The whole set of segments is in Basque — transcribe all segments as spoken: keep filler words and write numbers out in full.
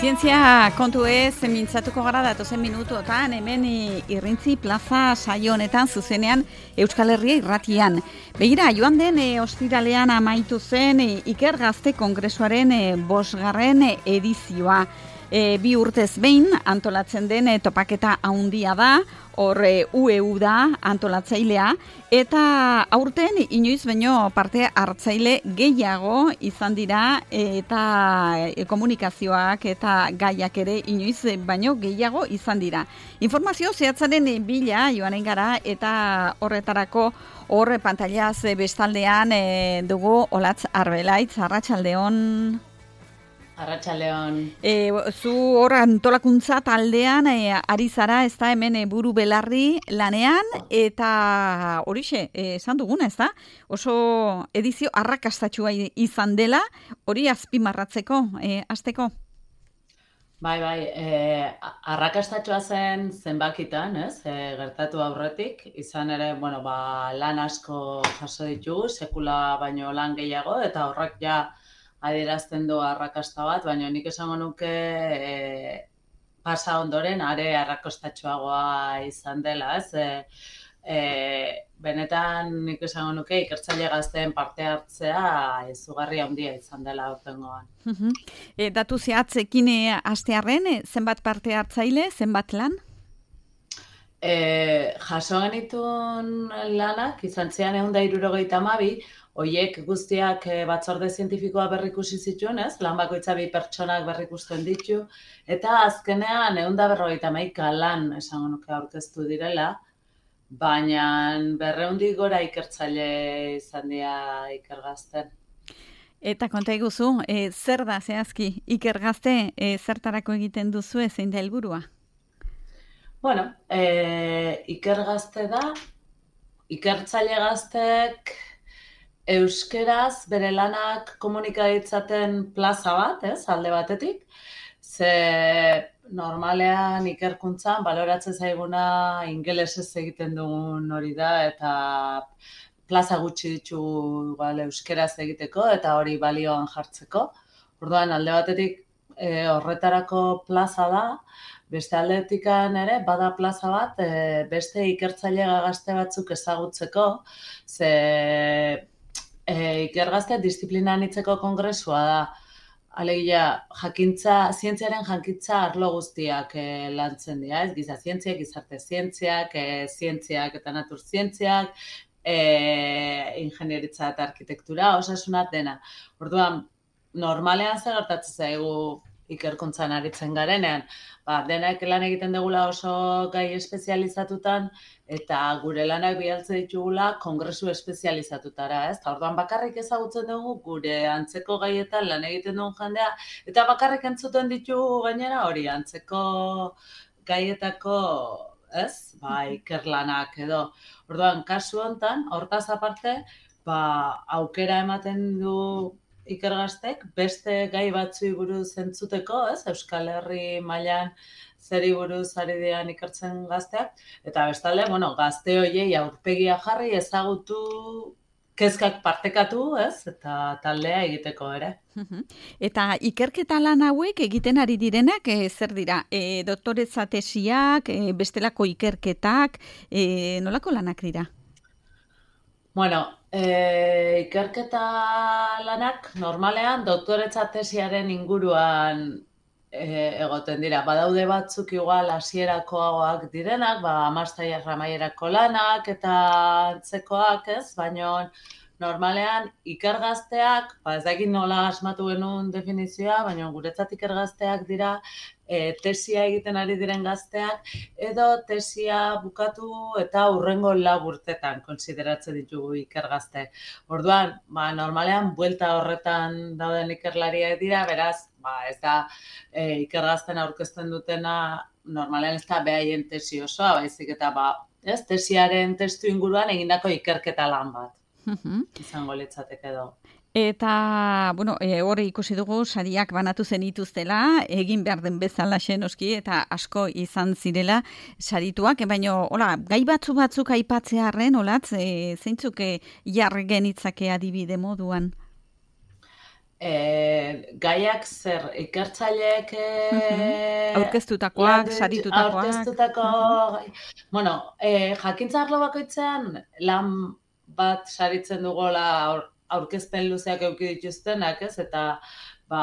Zientzia kontu ez, mintzatuko gara datozen minutuotan, hemen Irrintzi plaza saio honetan zuzenean Euskal Herria irratian. Begira, joan den e, ostiralean amaitu zen e, Iker Gazte Kongresuaren e, bosgarren e, edizioa. E, bi urtez behin antolatzen den e, topaketa handia da, hor e, U E U da antolatzailea, eta aurten inoiz baino parte hartzaile gehiago izan dira eta e, komunikazioak eta gaiak ere inoiz baino gehiago izan dira. Informazio zehatzaren bila joanen gara eta horretarako hor pantailaz bestaldean e, dugu Olatz Arbelaitz, arratsaldeon. Arratsaldeon. E, zu hor antolakuntza taldean e, ari zara, ez da hemen e, buru belarri lanean, eta horixe, esan duguna, ez da? Oso edizio arrakastatxua izan dela, hori azpimarratzeko, e, hasteko. Bai, bai, e, arrakastatxua zen zenbakitan, ez? E, gertatu aurretik, izan ere, bueno, ba, lan asko jaso ditugu, sekula baino lan gehiago, eta horrek ja adierazten du arrakasta bat, baina nik esango nuke e, pasa ondoren are arrakastatsuagoa izan dela, ez? E, e, benetan nik esango nuke ikertzaile gazteen parte hartzea izugarri handia izan dela aurtengoan. e, datu zehatzekin e, hastearren, e, zenbat parte hartzaile, zenbat lan? E, jaso genituen lanak, izan zian ehun eta hirurogeita hamabi, Oiek guztiak batzorde zientifikoa berrikusi zituen, ez? Lan bakoitza bi pertsonak berrikusten ditu, eta azkenean ehun eta berrogeita hamaika lan esango nuke aurkeztu direla, baina berrehundik gora ikertzaile izan dira Iker Gazten. Eta konta iguzu, e, zer da zehazki Iker Gazte, e, zertarako egiten duzu zein da helburua? Bueno, e, Iker Gazte da, ikertzaile gaztek euskeraz bere lanak komunika ditzaten plaza bat, ez, alde batetik, ze normalean ikerkuntzan baloratzen zaiguna ingelesez egiten dugun hori da, eta plaza gutxi ditu igual euskeraz egiteko, eta hori balioan jartzeko. Orduan, alde batetik e, horretarako plaza da, beste aldetikan ere, bada plaza bat, e, beste ikertzaile gazte batzuk ezagutzeko, ze E, Iker Gazte disiplina anitzeko kongresua da. Alegia, jakintza, zientziaren jakintza arlo guztiak e, lantzen dira, ez? Giza zientziak, gizarte zientziak, e, zientziak eta natur zientziak, e, ingenieritza eta arkitektura, osasuna dena. Orduan, normalean zer gertatzen zaigu ikerkuntzan aritzen garenean, ba, denak lan egiten dugula oso gai espezializatutan, eta gure lanak bialtzen ditugula kongresu espezializatutara, ez? Ta orduan bakarrik ezagutzen dugu gure antzeko gaietan lan egiten dugun jendea, eta bakarrik entzuten ditugu gainera hori antzeko gaietako, ez? Ba, ikerlanak edo. Orduan, kasu hontan, hortaz aparte, ba, aukera ematen du Iker Gaztek beste gai batzui buruz entzuteko, ez? Euskal Herri mailan zeri buruz ari dian ikertzen gazteak, eta bestalde, bueno, gazte hoiei aurpegia jarri ezagutu, kezkak partekatu, ez? Eta taldea egiteko ere. Eta ikerketa lan hauek egiten ari direnak e, zer dira? E, doktoretza tesiak, e, bestelako ikerketak, e, nolako lanak dira? Bueno, e, ikerketa lanak normalean doktoretza tesiaren inguruan e, egoten dira. Badaude batzuk igual hasierakoagoak direnak, ba master amaierako lanak eta antzekoak, ez? Baina normalean Iker Gazteak, ba ez dakit nola asmatu genuen definizioa, baina guretzat Iker Gazteak dira e, tesia egiten ari diren gazteak, edo tesia bukatu eta hurrengo lau urtetan kontsideratzen ditugu Iker Gazte. Orduan, ba, normalean buelta horretan dauden ikerlariak dira, beraz, ba, ez da e, Iker Gazten aurkezten dutena, normalean ez da behaien tesi osoa, baizik eta ba, ez, tesiaren testu inguruan egindako ikerketa lan bat. Izango litzateke edo. Eta, bueno, e, hori ikusi dugu sariak banatu zenituztela, egin behar den bezala xenoski, eta asko izan zirela sarituak, baina, hola, gai batzu batzuk aipatzearren, holatz, e, zeintzuk e, jarri genitzake adibide moduan? E, gaiak zer, ikertzaileek e, aurkeztutakoak, saritutakoak. Aurkeztutako, bueno, e, jakintza arlo bakoitzean lan bat saritzen dugola aur, aurkezpen luzeak eduki dituztenak, ez? Eta ba,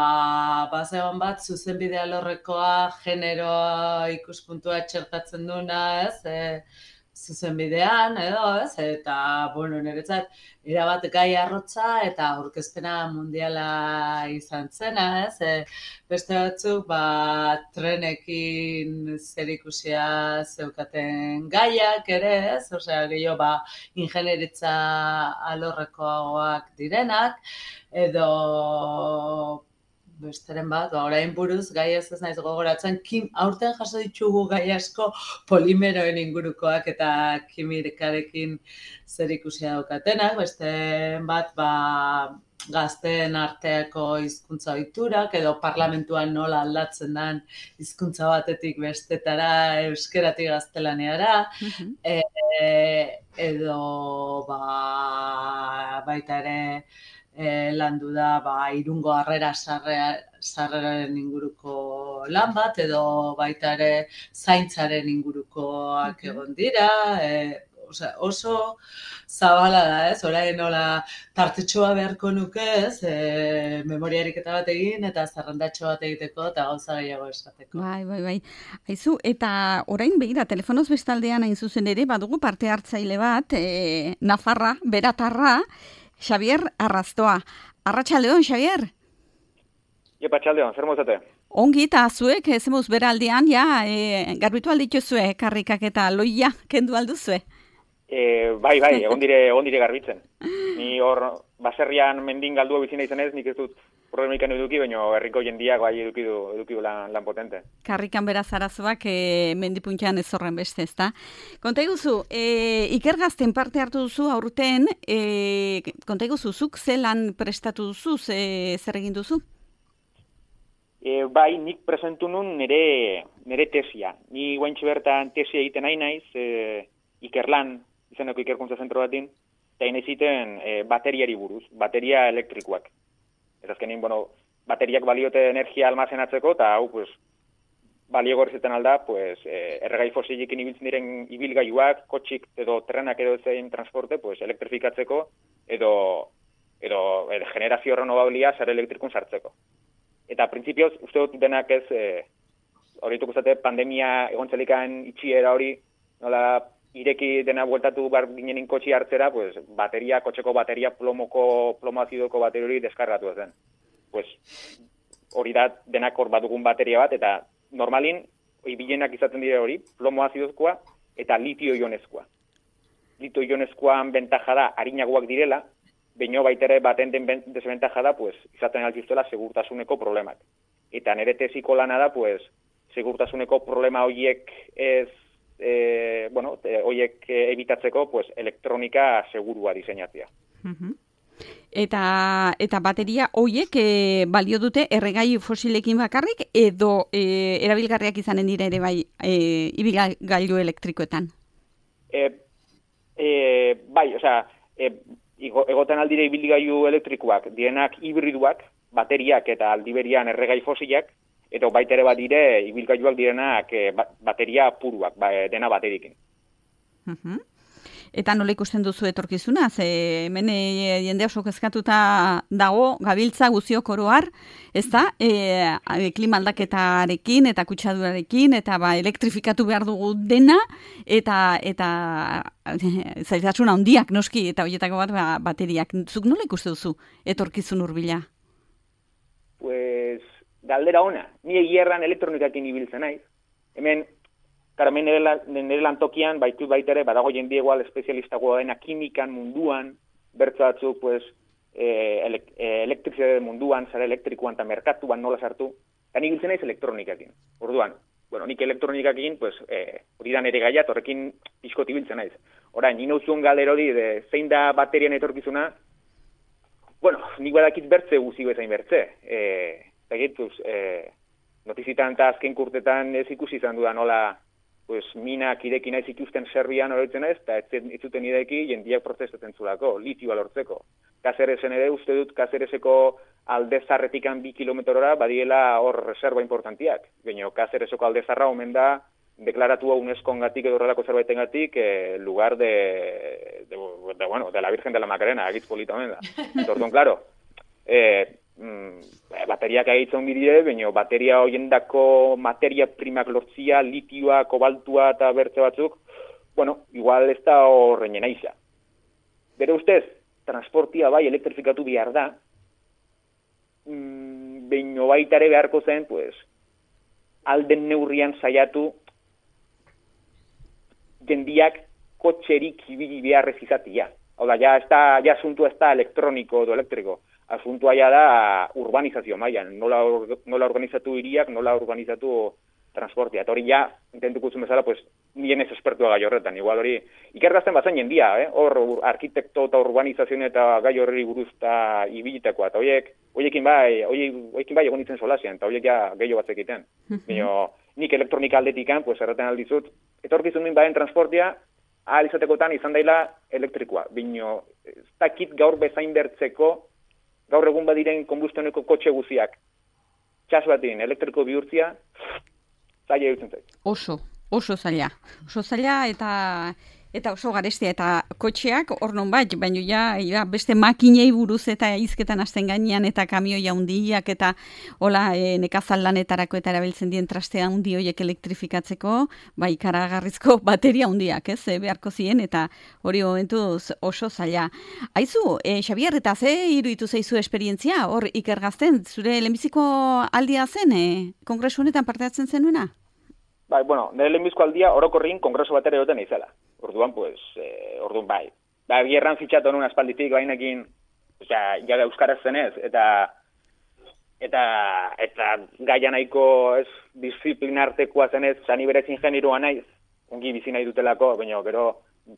bazegoen bat zuzenbide alorrekoa, generoa ikuspuntua txertatzen duna, ez? E, zuzenbidean, edo, ez? Eta, bueno, niretzat, erabat gai arrotza eta aurkezpena mundiala izan zena, ez? E, beste batzuk, ba, trenekin zerikusia zeukaten gaiak ere, ez? Osea, gehiago, ba, ingenieritza alorrekoagoak direnak, edo besteren bat, ba, orain buruz, gai ez ez naiz gogoratzen, kim, aurten jaso ditugu gai asko polimeroen ingurukoak eta kimikarekin zer ikusia daukatenak, beste bat, ba, gazteen arteako hizkuntza ohiturak edo parlamentuan nola aldatzen den hizkuntza batetik bestetara, euskeratik gaztelaniara, uh-huh. e, edo ba, baita ere, E, landu da ba, Irungo Harrera sarreraren inguruko lan bat, edo baita ere zaintzaren ingurukoak egon dira, e, osea, oso zabala da, ez? Orain nola tartetxoa beharko nuke, ez? E, memoriarik eta bat egin, eta zerrendatxo bat egiteko, eta gauza gehiago esateko. Bai, bai, bai. Aizu, eta orain begira, telefonoz bestaldean hain zuzen ere, badugu parte hartzaile bat, e, Nafarra, Beratarra, Xavier Arrastoa. Arratsaldeon, Xavier? Iepa, arratsaldeon, zer mozate? Ongi, eta zuek, zemuz bera aldean, ja, e, garbitu aldituzue, karrikak eta loia, kendu alduzue? E, bai, bai, egon dire, egon dire garbitzen. Ni hor, baserrian mendin galdua bizina izanez, nik ez dut problemikan eduki, baina herriko jendiak bai eduki du, eduki du lan, lan potente. Karrikan beraz arazoak e, mendipuntxean ez horren beste, ezta? Konta iguzu, e, ikergazten parte hartu duzu aurten, e, konta iguzu, zuk zelan prestatu duzu, ze, zer egin duzu? E, bai, nik presentu nun nire, nire tesia. Ni guaintxe bertan tesia egiten nahi naiz, e, ikerlan, izeneko ikerkuntza zentro batin, eta nahi ziten e, bateriari buruz, bateria elektrikoak. Eta azkenin, bueno, bateriak baliote energia almazenatzeko, eta hau, pues, balio gorrizetan alda, pues, eh, erregai fosilikin ibiltzen diren ibilgailuak, kotxik edo trenak edo zein transporte, pues, elektrifikatzeko, edo, edo, edo generazio renovablia sare elektrikun sartzeko. Eta, printzipioz, uste dut denak ez, eh, horretuk uzate, pandemia egontzelikan itxiera hori, nola, ireki dena bueltatu bar ginenin kotxi hartzera, pues, bateria, kotxeko bateria, plomoko, plomo azidoko bateria hori deskargatu zen. Pues, hori da denak hor badugun bateria bat, eta normalin, ibilenak izaten dira hori, plomo azidozkoa eta litio ionezkoa. Litio ionezkoan bentaja da, harinagoak direla, baino baitere baten den desbentaja da, pues, izaten altiztuela segurtasuneko problemak. Eta nire tesiko lana da, pues, segurtasuneko problema horiek ez E, bueno, e, oiek ebitatzeko, pues, elektronika segurua diseinatzea. Uh-huh. Eta, eta bateria oiek e, balio dute erregai fosilekin bakarrik, edo e, erabilgarriak izanen dira ere bai e, ibilgailu elektrikoetan? E, e, bai, osea, e, egoten aldire ibilgailu elektrikoak, dienak hibriduak, bateriak eta aldiberian erregai fosilak, eta baita ere bat dire, ibilgailuak direnak e, bateria puruak, ba, dena baterikin. Uh-huh. Eta nola ikusten duzu etorkizuna? Ze hemen e, jende oso kezkatuta dago, gabiltza guziok oroar, ez da? E, klima aldaketarekin eta kutsadurarekin, eta ba, elektrifikatu behar dugu dena, eta eta zailtasuna handiak noski, eta horietako bat ba, bateriak. Zuk nola ikusten duzu etorkizun hurbila? Pues... galdera ona, ni egierran elektronikakin ibiltzen naiz. Hemen, karo, hemen nire, nire lantokian, baitu baita ere, badago jende igual espezialistagoa dena kimikan munduan, bertso batzuk, pues, e, elek, e, elektrizitate munduan, zara elektrikoan eta merkatuan nola sartu, eta ni ibiltzen naiz elektronikakin. Orduan, bueno, nik elektronikakin, pues, e, hori da nire gaiat, horrekin pixkot ibiltzen naiz. Orain, nina uzun galdera hori, de, zein da baterian etorkizuna, bueno, nik badakit bertze guzi bezain bertze, e, Egituz, eh, notizitan eta azken kurtetan ez ikusi izan duda nola pues, minak ireki naiz ikusten Serbian horretzen ez, eta ez zuten ireki jendiak protestatzen zulako, litioa lortzeko. Kaseresen ere uste dut Kasereseko aldezarretikan bi kilometrora badiela hor reserva importantiak. Baina Cácereseko aldezarra omen da deklaratua UNESCO-ngatik edo horrelako zerbaitengatik eh, lugar de, de, de, bueno, de la Virgen de la Macarena, agitz polita omen da. Orduan, claro, eh, mm, bateriak agitzen bidire, baina bateria hoiendako materia primak lortzia, litioa, kobaltua eta bertze batzuk, bueno, igual ez da horreinen aiza. Bere ustez, transportia bai elektrifikatu behar da, mm, baina baitare beharko zen, pues, alden neurrian saiatu jendiak kotxerik ibili beharrez izatia. Hau da, ja, ez da, ja asuntua ez da elektroniko edo elektriko. Asuntua ja da urbanizazio mailan, nola, nola organizatu hiriak, nola organizatu transportia. Eta hori ja, intentuko zuen bezala, pues, nien ez espertua gai horretan. Igual hori, ikergazten bazen jendia, eh? Hor arkitekto eta urbanizazioen eta gai horri buruzta ibilitakoa. Eta horiek, horiekin bai, horiekin bai egon itzen solazian, eta horiek ja gehiago batzek egiten. Baina, nik elektronika aldetikan, pues, erraten aldizut, etorkizun min baden transportia, ahal izatekotan izan daila elektrikoa. Bino, ez dakit gaur bezain bertzeko, gaur egun badiren kombustioneko kotxe guziak. Txas batin, elektriko bihurtzia, zaila dutzen zait. Oso, oso zaila. Oso zaila eta eta oso garestia eta kotxeak hor non bat, baina ja, ja beste makinei buruz eta hizketan hasten gainean eta kamioi handiak eta hola e, nekazal lanetarako eta erabiltzen dien traste handi horiek elektrifikatzeko, bai ikaragarrizko bateria handiak, ez, e, beharko ziren eta hori momentuz oso zaila. Aizu, e, Xabier, eta ze iruditu zaizu esperientzia hor ikergazten, zure lehenbiziko aldia zen, e, kongresu honetan parte hartzen zenuena? Bai, bueno, nire lehenbizko aldia orokorrin kongreso batera egoten izela. Orduan, pues, eh, orduan bai. Ba, bierran fitxatu honun aspalditik, bainekin, osea, ja euskaraz zenez, eta eta eta gaia nahiko ez disiplinartekoa zenez, zani berez ingenirua naiz, ongi bizi nahi dutelako, baina gero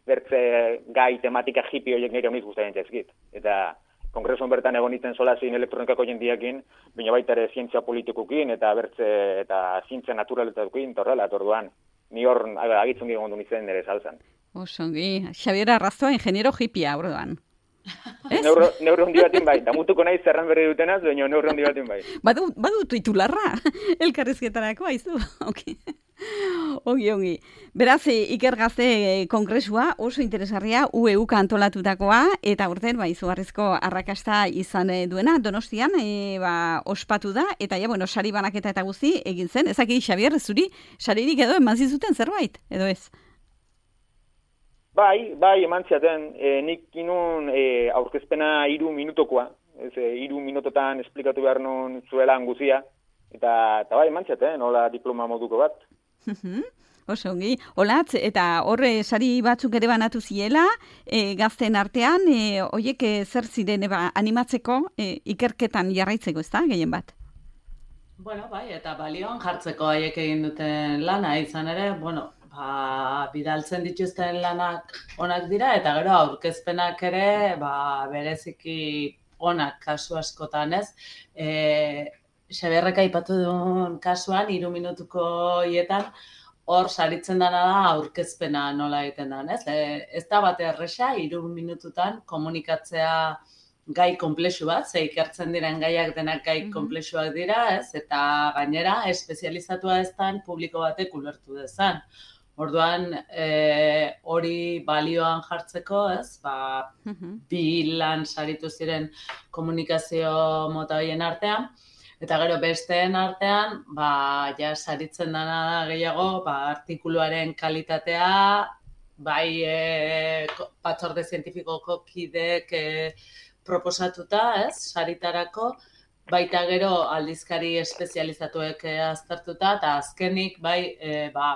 bertze gai tematika hippie horiek nire honiz guztaren txezkit. Eta kongresuan bertan egon itzen solazin elektronikako jendiakin, baina baita ere zientzia politikukin, eta bertze eta zientzia naturaletakukin, torrela, orduan, ni hor agitzen gira gondun izen nire salzan. Osongi, Xabier Arrazoa, ingeniero hippia, orduan. Neurri hondi batin bai, damutuko nahi zerran berri dutenaz, baina neurri hondi batin bai. Badu, badu titularra, elkarrizketarako, haizu, ok. Ongi, ongi. Beraz, ikergazte kongresua oso interesgarria U E U antolatutakoa eta urten ba, izugarrizko arrakasta izan duena. Donostian e, ba, ospatu da eta ja, bueno, sari banaketa eta guzti egin zen. Ezaki, Xabier, zuri saririk edo eman zizuten zerbait, edo ez? Bai, bai, eman ziaten. E, nik inun e, aurkezpena hiru minutokoa. Ez, e, hiru minutotan esplikatu behar nun zuelan guzia. Eta, eta bai, eman ziaten, nola diploma moduko bat. Oso ongi, olatz, eta horre sari batzuk ere banatu ziela, e, gazten artean, e, oiek e, zer ziren eba, animatzeko e, ikerketan jarraitzeko, ez da, gehien bat? Bueno, bai, eta balioan jartzeko haiek egin duten lana, izan ere, bueno, ba, bidaltzen dituzten lanak onak dira, eta gero aurkezpenak ere, ba, bereziki onak kasu askotan, ez? E, Xaberrek aipatu duen kasuan, hiru minutuko hietan, hor saritzen dana da aurkezpena nola egiten da, ez? E, ez da bate erresa, hiru minututan komunikatzea gai konplexu bat, ze ikertzen diren gaiak denak gai konplexuak dira, ez? Eta gainera, espezializatua ez dan publiko batek ulertu dezan. Orduan, e, hori balioan jartzeko, ez? Ba, bi lan saritu ziren komunikazio mota horien artean, eta gero besteen artean, ba, ja saritzen dana da gehiago, ba, artikuluaren kalitatea, bai e, batzorde zientifikoko kidek e, proposatuta, ez, saritarako, baita gero aldizkari espezializatuek e, aztertuta, eta azkenik, bai, e, ba,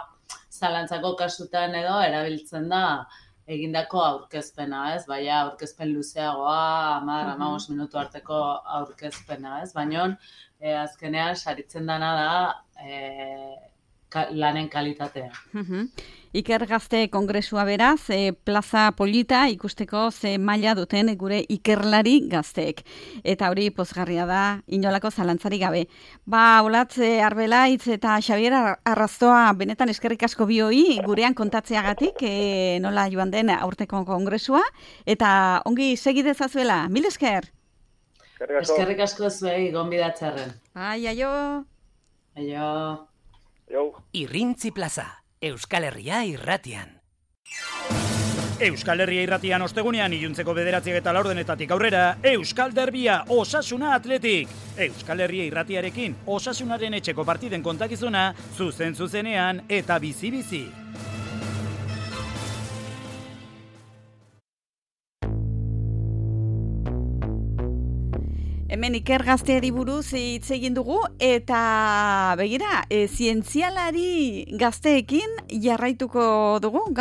zalantzako kasutan edo erabiltzen da egindako aurkezpena, ez? Baina aurkezpen luzeagoa, hamar, hamabost minutu arteko aurkezpena, ez? Baina e, azkenean saritzen dana da e, ka, lanen kalitatea. Ikergazte kongresua beraz, e, plaza polita ikusteko ze maila duten gure ikerlari gazteek. Eta hori pozgarria da, inolako zalantzarik gabe. Ba, Olatz Arbelaitz eta Xabier Arrazoa benetan eskerrik asko bioi gurean kontatzeagatik, e, nola joan den aurteko kongresua, eta ongi segi dezazuela. Mil esker! Eskerrik asko zuei gonbidatzearren. Ai, aio. Aio. Jo. Irrintzi plaza, Euskal Herria irratian. Euskal Herria irratian ostegunean iluntzeko bederatziak eta laurdenetatik aurrera, Euskal Derbia, Osasuna Atletik. Euskal Herria irratiarekin, Osasunaren etxeko partiden kontakizuna, zuzen zuzenean eta bizi-bizi. Hemen Iker Gazteari buruz hitz egin dugu eta begira, e, zientzialari gazteekin jarraituko dugu.